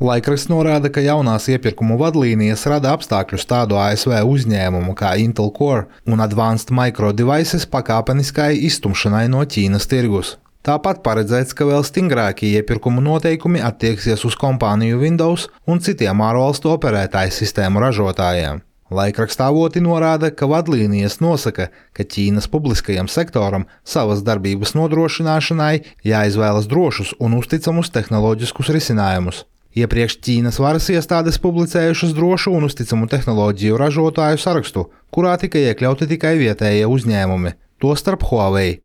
Laikraksts norāda, ka jaunās iepirkumu vadlīnijas rada apstākļus tādu ASV uzņēmumu kā Intel Core un Advanced Micro Devices pakāpeniskai izstumšanai no Ķīnas tirgus. Tāpat paredzēts, ka vēl stingrākie iepirkumu noteikumi attieksies uz kompāniju Windows un citiem ārvalstu operētāju sistēmu ražotājiem. Laikraksta avoti norāda, ka vadlīnijas nosaka, ka Ķīnas publiskajam sektoram savas darbības nodrošināšanai jāizvēlas drošus un uzticamus tehnoloģiskus risinājumus. Iepriekš Ķīnas varas iestādes publicējušas drošu un uzticamu tehnoloģiju ražotāju sarakstu, kurā tika iekļauti tikai vietējie uzņēmumi, tostarp Huawei.